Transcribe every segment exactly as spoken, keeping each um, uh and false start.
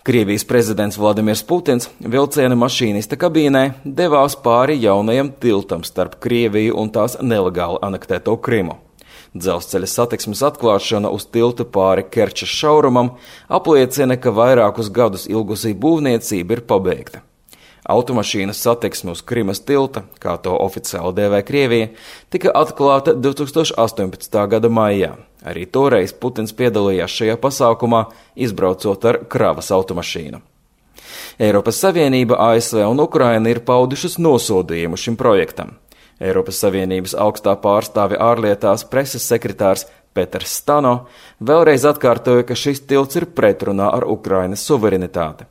Krievijas prezidents Vladimirs Putins vilciena mašīnista kabīnē devās pāri jaunajam tiltam starp Krieviju un tās nelegāli anektēto Krimu. Dzelzceļa satiksmes atklāšana uz tilta pāri Kerčas šaurumam apliecina, ka vairākus gadus ilgusī būvniecība ir pabeigta. Automašīnas satiksme uz Krimas tilta, kā to oficiāli dēvē Krievija, tika atklāta divs tūkstoši astoņpadsmitā gada maijā. Arī toreiz Putins piedalījās šajā pasākumā, izbraucot ar kravas automašīnu. Eiropas Savienība, A S V un Ukraina ir paudušas nosodījumu šim projektam. Eiropas Savienības augstā pārstāve ārlietās preses sekretārs Peters Stano vēlreiz atkārtoja, ka šis tilts ir pretrunā ar Ukrainas suverenitāti.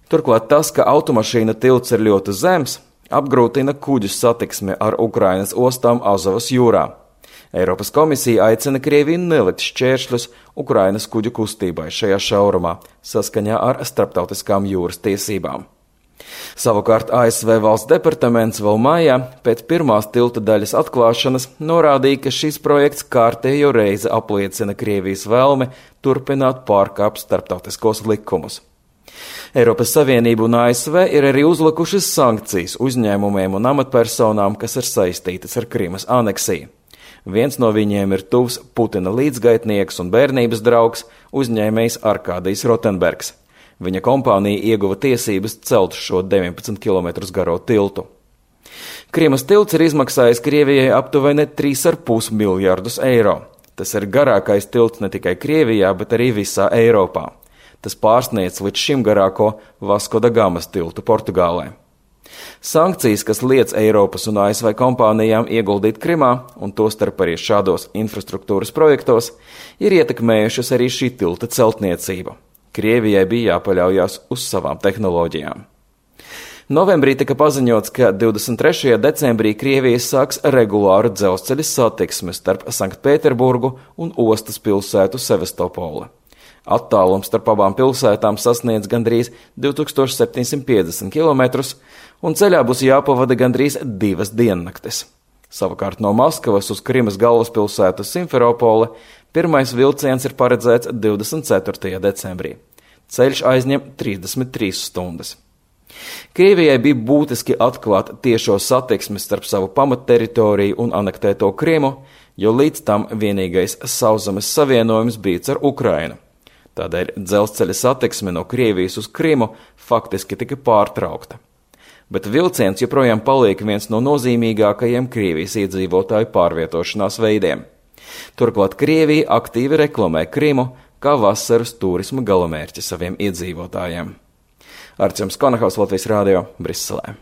Turklāt tas, ka automašīna tilts ir ļoti zems, apgrūtina kuģu satiksmi ar Ukrainas ostām Azovas jūrā. Eiropas komisija aicina Krieviju nelikt šķēršļus Ukrainas kuģu kustībai šajā šaurumā, saskaņā ar starptautiskām jūras tiesībām. Savukārt A S V valsts departaments vēl maijā pēc pirmās tilta daļas atklāšanas norādīja, ka šis projekts kārtējo reizi apliecina Krievijas vēlmi turpināt pārkāpt starptautiskos likumus. Eiropas Savienība un A S V ir arī uzlikušas sankcijas uzņēmumiem un amatpersonām, kas ir saistītas ar Krimas aneksiju. Viens no viņiem ir tuvs Putina līdzgaitnieks un bērnības draugs, uzņēmējs Arkādijs Rotenbergs. Viņa kompānija ieguva tiesības celt šo deviņpadsmit kilometrus garo tiltu. Krimas tilts ir izmaksājis Krievijai aptuveni trīs ar pus miljardus eiro. Tas ir garākais tilts ne tikai Krievijā, bet arī visā Eiropā. Tas pārsniedz līdz šim garāko Vasko da Gamas tiltu Portugālē. Sankcijas, kas liedz Eiropas un A S V kompānijām ieguldīt Krimā, un tostarp arī šādos infrastruktūras projektos, ir ietekmējušas arī šī tilta celtniecību. Krievijai bija jāpaļaujās uz savām tehnoloģijām. Novembrī tika paziņots, ka divdesmit trešajā decembrī Krievija sāks regulāru dzelzceļa satiksmi starp Sanktpēterburgu un ostas pilsētu Sevastopoli. Attālums starp abām pilsētām sasniedz gandrīz divi tūkstoši septiņsimt piecdesmit kilometrus, un ceļā būs jāpavada gandrīz divas diennaktes. Savukārt no Maskavas uz Krimas galvaspilsētu Simferopoli pirmais vilciens ir paredzēts divdesmit ceturtajā decembrī. Ceļš aizņem trīsdesmit trīs stundas. Krievijai bija būtiski atklāt tiešo satiksmi starp savu pamatteritoriju un anektēto Krimu, jo līdz tam vienīgais sauszemes savienojums bija ar Ukrainu. Tādēļ dzelzceļa satiksme no Krievijas uz Krimu faktiski tika pārtraukta. Bet vilciens joprojām paliek viens no nozīmīgākajiem Krievijas iedzīvotāju pārvietošanās veidiem. Turklāt Krievija aktīvi reklamē Krimu kā vasaras turisma galamērķi saviem iedzīvotājiem. Arčuns Konahaus, Latvijas Rādio, Briselē.